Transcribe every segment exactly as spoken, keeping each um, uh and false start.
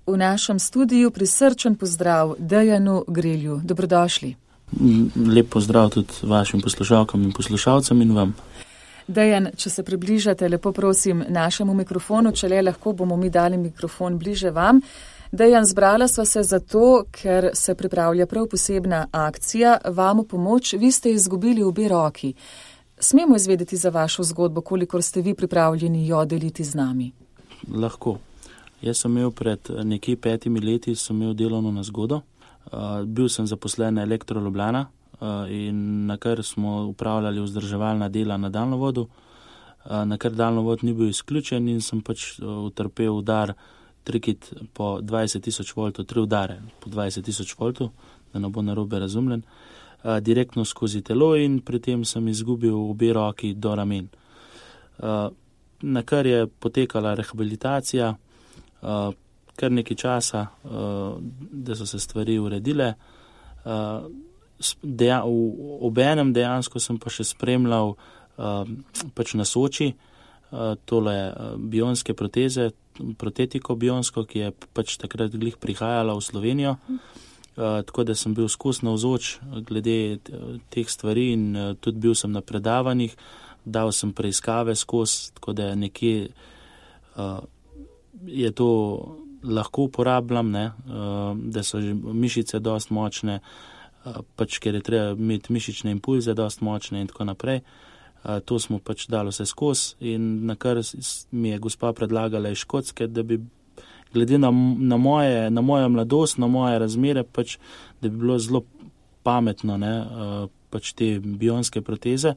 V našem studiu prisrčen pozdrav Dejanu Grelju. Dobrodošli. Lep pozdrav tudi vašim poslušalkam in poslušalcem in vam. Dejan, če se približate, lepo prosim, našemu mikrofonu, če le lahko bomo mi dali mikrofon bliže vam. Dejan, zbrala sva se zato, ker se pripravlja prav posebna akcija, vam v pomoč, vi ste izgubili obe roki. Smemo izvedeti za vašo zgodbo, kolikor ste vi pripravljeni jo deliti z nami? Lahko. Jaz sem imel pred nekje petimi leti, sem imel delovno nezgodo. Uh, bil sem zaposlen na Elektro Ljubljana uh, in na kar smo upravljali vzdrževalna dela na daljnovodu, uh, na kar daljnovod ni bil izključen in sem pač uh, utrpel udar trikrat po dvajset tisoč voltov, tri udare po dvajset tisoč voltov, da ne bo narobe razumljen, uh, direktno skozi telo in pri tem sem izgubil obe roki do ramen. Uh, na kar je potekala rehabilitacija, uh, kar nekaj časa, uh, da so se stvari uredile. Uh, deja, v, ob enem dejansko sem pa še spremljal uh, pač na Soči uh, tole uh, bionske proteze, protetiko bionsko, ki je pač takrat glih prihajala v Slovenijo. Uh, tako da sem bil skozi navzoč glede teh stvari in uh, tudi bil sem na predavanjih, dal sem preiskave skozi, tako da nekje uh, je to lahko uporabljam, ne, da so že mišice dost močne, pač ker je treba imeti mišične impulze dost močne in tako naprej. To smo pač dali vse skozi in na kar mi je gospa predlagala iz Škotske, da bi glede na, na, moje, na mojo mladost, na moje razmere, pač, da bi bilo zelo pametno, ne, pač te bionske proteze.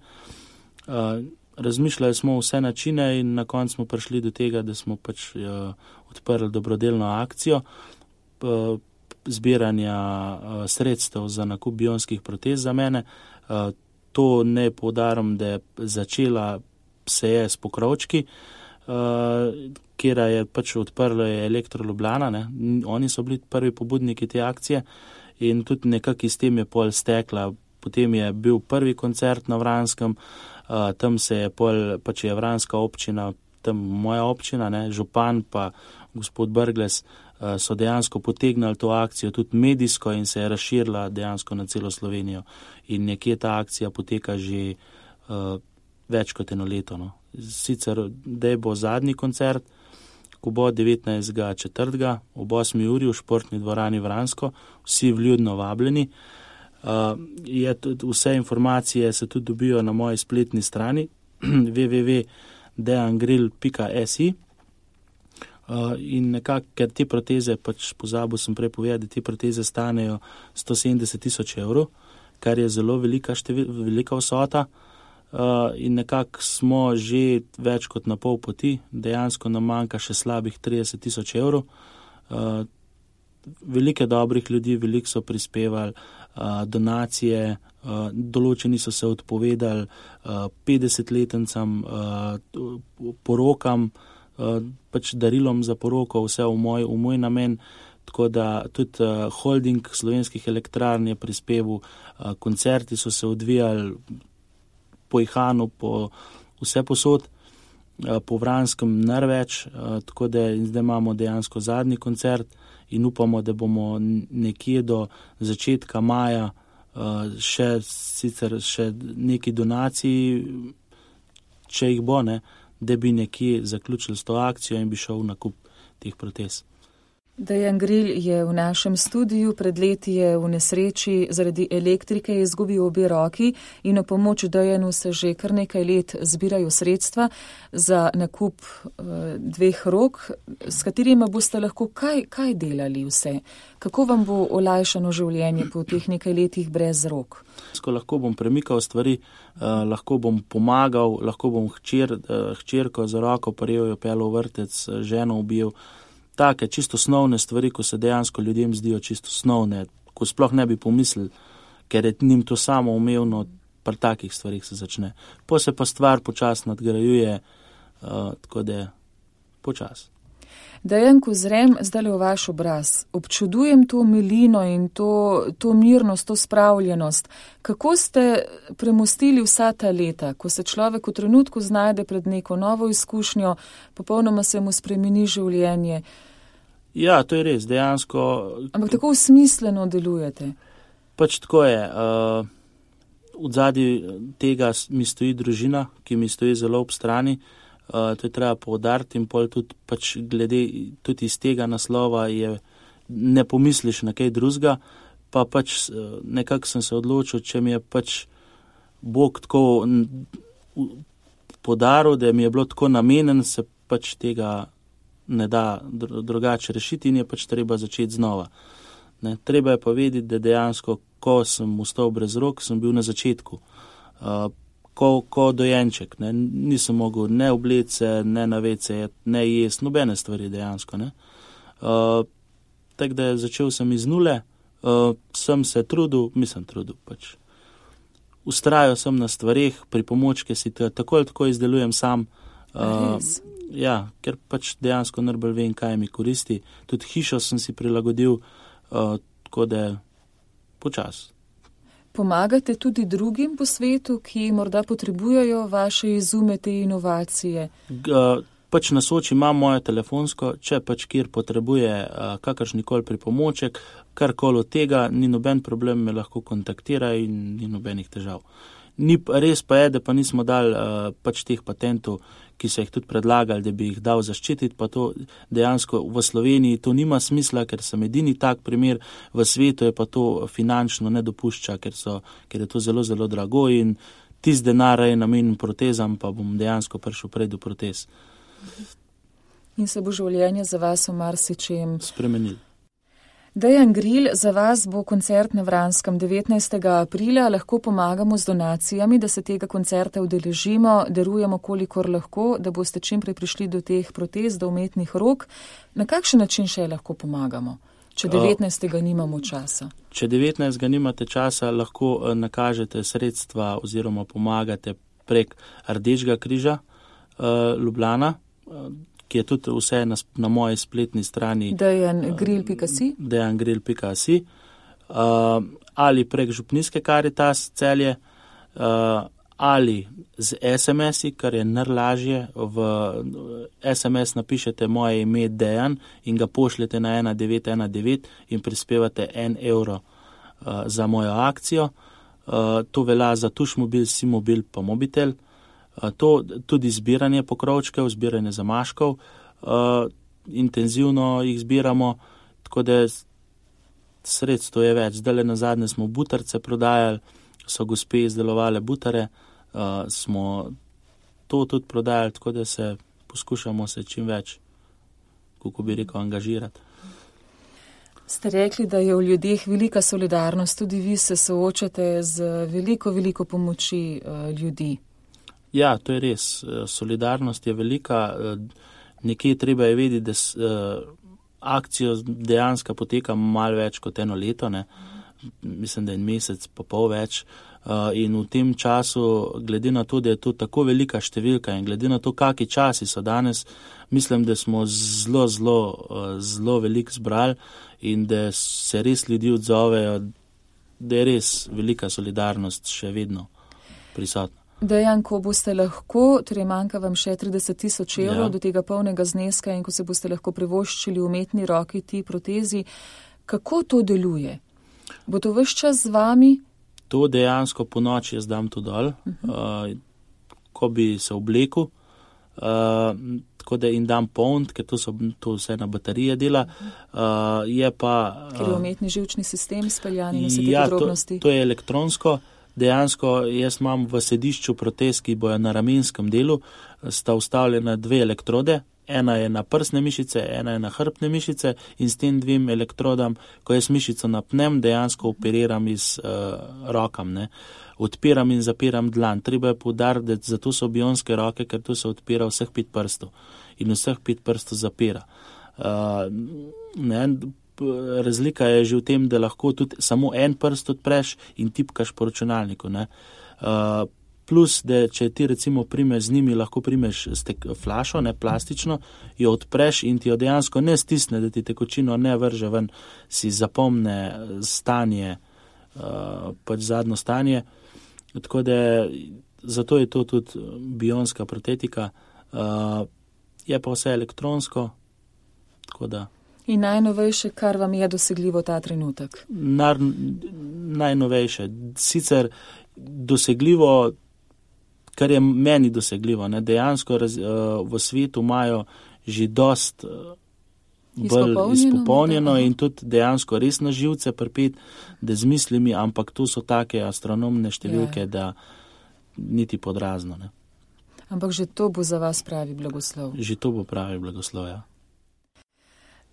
Razmišljali smo vse načine in na koncu smo prišli do tega, da smo pač uh, odprli dobrodelno akcijo uh, zbiranja uh, sredstev za nakup bionskih protez za mene. Uh, to ne poudarim, da je začela se je s pokrovčki, uh, kjer je pač odprlo je Elektro Ljubljana, ne. Oni so bili prvi pobudniki te akcije in tudi nekako iz tem je pol stekla. Potem je bil prvi koncert na Vranskem, uh, tam se je pol, pač je Vranska občina, tam moja občina, ne, župan pa gospod Brglez uh, so dejansko potegnali to akcijo tudi medijsko in se je razširila dejansko na celo Slovenijo. In nekje ta akcija poteka že uh, več kot eno leto. No. Sicer, da bo zadnji koncert, ko bo devetnajstega četrtega ob osmi uri v športni dvorani Vransko, vsi vljudno vabljeni. Uh, je tudi, vse informacije se tudi dobijo na moji spletni strani w w w pika dejan gril pika s i uh, in nekako, ker te proteze, pač pozabil sem prej povedati, te proteze stanejo sto sedemdeset tisoč evrov, kar je zelo velika, števil, velika vsota uh, in nekako smo že več kot na pol poti, dejansko nam manjka še slabih trideset tisoč evrov. Uh, velike dobrih ljudi, veliko so prispevali, uh, donacije, uh, določeni so se odpovedali uh, petdesetletnicam, uh, porokam, uh, pač darilom za poroko, vse v moj, v moj namen, tako da tudi uh, holding slovenskih elektrarn je prispeval, uh, koncerti so se odvijali po Ihanu, po vse posod, uh, po Vranskem največ, uh, tako da zdaj imamo dejansko zadnji koncert, in upamo, da bomo nekje do začetka maja uh, še sicer še neki donaciji, če jih bo, ne, da bi nekje zaključili s to akcijo in bi šel v nakup teh protez. Dejan Gril je v našem studiu, pred leti je v nesreči zaradi elektrike izgubil obe roki in v pomoč Dejanu se že kar nekaj let zbirajo sredstva za nakup uh, dveh rok, s katerima boste lahko kaj, kaj delali vse? Kako vam bo olajšano življenje po teh nekaj letih brez rok? Ko lahko bom premikal stvari, uh, lahko bom pomagal, lahko bom hčer, uh, hčerko za roko prijel, jo pel v vrtec, ženo ubil. Take čisto osnovne stvari, ko se dejansko ljudem zdijo čisto osnovne, ko sploh ne bi pomislili, ker je njim to samo umevno, pri takih stvarih se začne. Po se pa stvar počas nadgrajuje, uh, tako da je počas. Dejan, ko zrem zdaj v vaš obraz, občudujem to milino in to, to mirnost, to spravljenost. Kako ste premostili vsa ta leta, ko se človek v trenutku znajde pred neko novo izkušnjo, popolnoma se mu spremeni življenje? Ja, to je res, dejansko. Ampak tako smisleno delujete. Pač tako je. Uh, v zadnji tega mi stoji družina, ki mi stoji zelo ob strani. Uh, to je treba poudariti in pol tudi pač glede tudi iz tega naslova je, ne pomisliš na kaj drugega, pa pač uh, nekako sem se odločil, če mi je pač Bog tako podaril, da mi je bilo tako namenjen, se pač tega ne da drugače rešiti in je pač treba začeti znova. Ne, treba je pa vedeti, da dejansko, ko sem ostal brez rok, sem bil na začetku. Uh, ko, ko dojenček, ne, nisem mogel ne obleti se, ne naveti se, ne jesti, nobene stvari dejansko. Ne. Uh, tako da začel sem iz nule, uh, sem se trudil, mislim trudil pač. Ustrajal sem na stvareh, pri pomočke si tako ali tako izdelujem sam. Uh, ja, ker pač dejansko najbolj vem, kaj mi koristi. Tudi hišo sem si prilagodil, Uh, tako da počas. Pomagate tudi drugim po svetu, ki morda potrebujejo vaše izume, te inovacije? G, uh, pač na Soči imam moje telefonsko, če pač kjer potrebuje uh, kakršnikoli pripomoček, karkoli od tega, ni noben problem, me lahko kontaktira in ni nobenih težav. Ni, res pa je, da pa nismo dali uh, pač teh patentov, ki so jih tudi predlagali, da bi jih dal zaščititi, pa to dejansko v Sloveniji to nima smisla, ker sem edini tak primer, v svetu je pa to finančno ne dopušča, ker, so, ker je to zelo, zelo drago in tis denar je namenjen protezam, pa bom dejansko prišel prej do protez. In se bo življenje za vas v marsičem spremenil. Dejan Gril, za vas bo koncert na Vranskem devetnajstega aprila, lahko pomagamo z donacijami, da se tega koncerta udeležimo, darujemo kolikor lahko, da boste čim prej prišli do teh protez, do umetnih rok. Na kakšen način še lahko pomagamo, če devetnajstega nimamo časa? Če devetnajstega nimate časa, lahko nakažete sredstva oziroma pomagate prek Rdečega križa uh, Ljubljana, uh, ki je tudi vse na, na moji spletni strani dejan gril pika si dejan gril pika si uh, ali prek Župnijske Karitas Celje uh, ali z es em esi, kar je najlažje. V es em es napišete moje ime Dejan in ga pošljete na ena devet ena devet in prispevate en evro uh, za mojo akcijo. Uh, to velja za Tušmobil, Simobil pa Mobitel. To tudi zbiranje pokrovčkov, zbiranje zamaškov, uh, intenzivno jih zbiramo, tako da sredstvo je več. Zdaj na zadnje smo butarce prodajali, so gospe izdelovale butare, uh, smo to tudi prodajali, tako da se poskušamo se čim več, kako bi rekel, angažirati. Ste rekli, da je v ljudeh velika solidarnost, tudi vi se soočate z veliko, veliko pomoči uh, ljudi. Ja, to je res. Solidarnost je velika. Nekje treba je vedeti, da akcijo dejansko poteka malo več kot eno leto, ne. Mislim, da je en mesec pa pol več. In v tem času, glede na to, da je to tako velika številka in glede na to, kakšni časi so danes, mislim, da smo zelo, zelo, zelo veliko zbrali in da se res ljudi odzovejo, da je res velika solidarnost še vedno prisotna. Dejan, ko boste lahko, torej manjka vam še trideset tisoč evrov ja. do tega polnega zneska in ko se boste lahko privoščili umetni roki, ti protezi, kako to deluje? Bo to ves čas z vami? To dejansko po noči jaz dam to dol, uh-huh. uh, ko bi se oblekel, uh, tako da in dam poln, ker to, so, to vse na baterije dela. Uh, je pa, uh, ker je umetni živčni sistem speljan in vse te ja, podrobnosti. To, to je elektronsko. Dejansko jaz imam v sedišču protez, ki bojo na ramenskem delu, sta ustavljena dve elektrode, ena je na prsne mišice, ena je na hrbtne mišice in s tem dvim elektrodam, ko jaz mišico napnem, dejansko operiram iz uh, rokam, ne. Odpiram in zapiram dlan. Treba je poudariti, da zato so bionske roke, ker tu se odpira vseh pet prstov in vseh pet prstov zapira. Uh, ne, razlika je že v tem, da lahko tudi samo en prst odpreš in tipkaš po računalniku. Ne. Uh, plus, da če ti recimo primeš z njimi, lahko primeš stek, flašo, ne, plastično, jo odpreš in ti jo dejansko ne stisne, da ti tekočino ne vrže ven, si zapomne stanje, uh, pač zadnjo stanje. Tako da zato je to tudi bionska protetika. Uh, je pa vse elektronsko, tako da. In najnovejše, kar vam je dosegljivo ta trenutek? Nar, najnovejše. Sicer dosegljivo, kar je meni dosegljivo. Ne? Dejansko raz, uh, v svetu imajo že dost uh, bolj izpopolnjeno in tudi dejansko res na živce pripet, da z mislimi, ampak to so take astronomne številke, ja. Da niti podrazno. Ne? Ampak že to bo za vas pravi blagoslov. Že to bo pravi blagoslov, ja.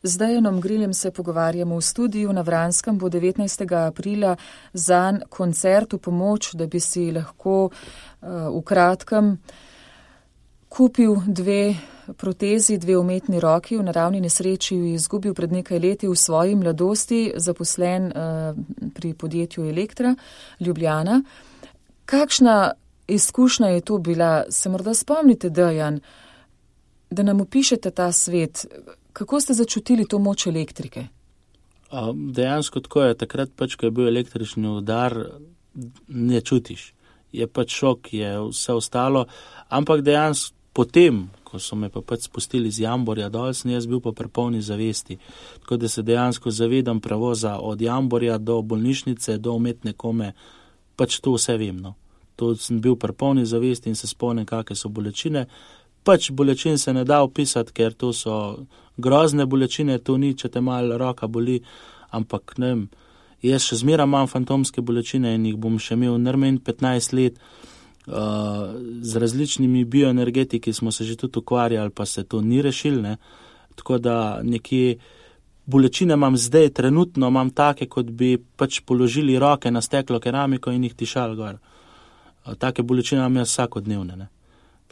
Z Dejanom Griljem se pogovarjamo v studiu. Na Vranskem bo devetnajstega aprila zanj koncert v pomoč, da bi si lahko uh, v kratkem kupil dve protezi, dve umetni roki. V naravni nesreči jo je izgubil pred nekaj leti v svoji mladosti, zaposlen uh, pri podjetju Elektra Ljubljana. Kakšna izkušnja je to bila? Se morda spomnite, Dejan, da nam opišete ta svet? Kako ste začutili to moč elektrike? Dejansko tako je. Takrat pač, ko je bil električni udar, ne čutiš. Je pač šok, je vse ostalo. Ampak dejansko potem, ko so me pa pač spustili z Jamborja dol, sem jaz bil pa prepolni zavesti. Tako da se dejansko zavedam prevoza od Jamborja do bolnišnice, do umetne kome. Pač to vse vem, no. To sem bil prepolni zavesti in se spomnim, kakve so bolečine. Pač bolečin se ne da opisati, ker to so grozne bolečine, to ni, če te malo roka boli, ampak ne vem, jaz še zmeraj imam fantomske bolečine in jih bom še imel najmanj petnajst let. Uh, z različnimi bioenergetiki smo se že tudi ukvarjali, pa se to ni rešil, ne. Tako da nekje bolečine imam zdaj, trenutno imam take, kot bi pač položili roke na steklo keramiko in jih tišali gor. Uh, take bolečine imam jaz vsakodnevne, ne.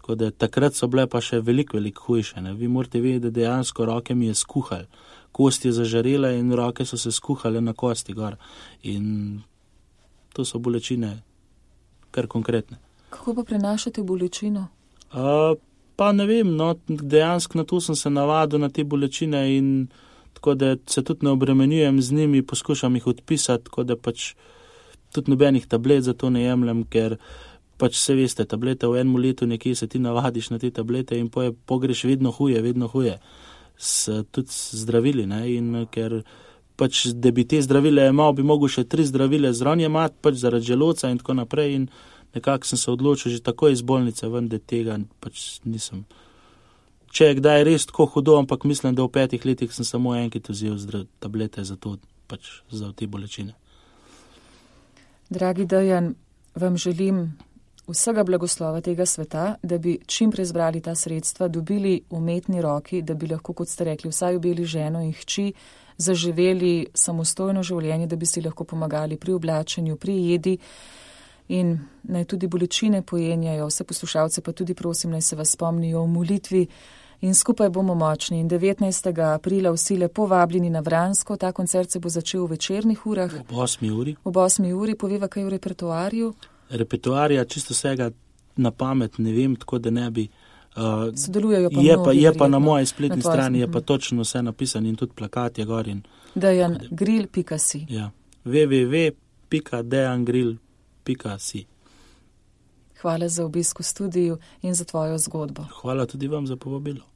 Tako da takrat so bile pa še veliko, veliko hujše. Ne? Vi morate vedeti, da dejansko roke mi je skuhal. Kost je zažarela in roke so se skuhale na kosti gor. In to so bolečine kar konkretne. Kako pa prenašate bolečino? Uh, pa ne vem, no, dejansko na to sem se navadil, na te bolečine in tako da se tudi ne obremenjujem z njimi, poskušam jih odpisati, tako da pač tudi nobenih tablet za to ne jemljem, ker pač se veste, tablete v enem letu nekje se ti navadiš na te tablete in poje pogreš vedno huje, vedno huje. S, tudi zdravili, ne, in ker pač, da bi te zdravile imel, bi mogel še tri zdravile zraven imati, pač zaradi želodca in tako naprej in nekako sem se odločil že takoj iz bolnice ven, da tega pač nisem. Če je kdaj res tako hudo, ampak mislim, da v petih letih sem samo enkrat vzel zdrav, tablete za to, pač za te bolečine. Dragi Dejan, vam želim vsega blagoslova tega sveta, da bi čim prej zbrali ta sredstva, dobili umetni roki, da bi lahko, kot ste rekli, vsaj ubili ženo in hči, zaživeli samostojno življenje, da bi si lahko pomagali pri oblačenju, pri jedi in naj tudi bolečine pojenjajo. Vse poslušalce pa tudi prosim, naj se vas spomnijo v molitvi in skupaj bomo močni. In devetnajstega aprila vsi lepo vabljeni na Vransko. Ta koncert se bo začel v večernih urah. Ob osmi uri. Ob osmi uri. Poveva kaj v repertoarju? Repertoarja čisto vsega na pamet ne vem, tako da ne bi. Uh, Sodelujejo pa je mnogi. Pa, je pa na moji spletni na strani je pa točno vse napisano in tudi plakat je gor. dejan grill pika si. Ja, w w w pika dejan grill pika si. Hvala za obisk v studiu in za tvojo zgodbo. Hvala tudi vam za povabilo.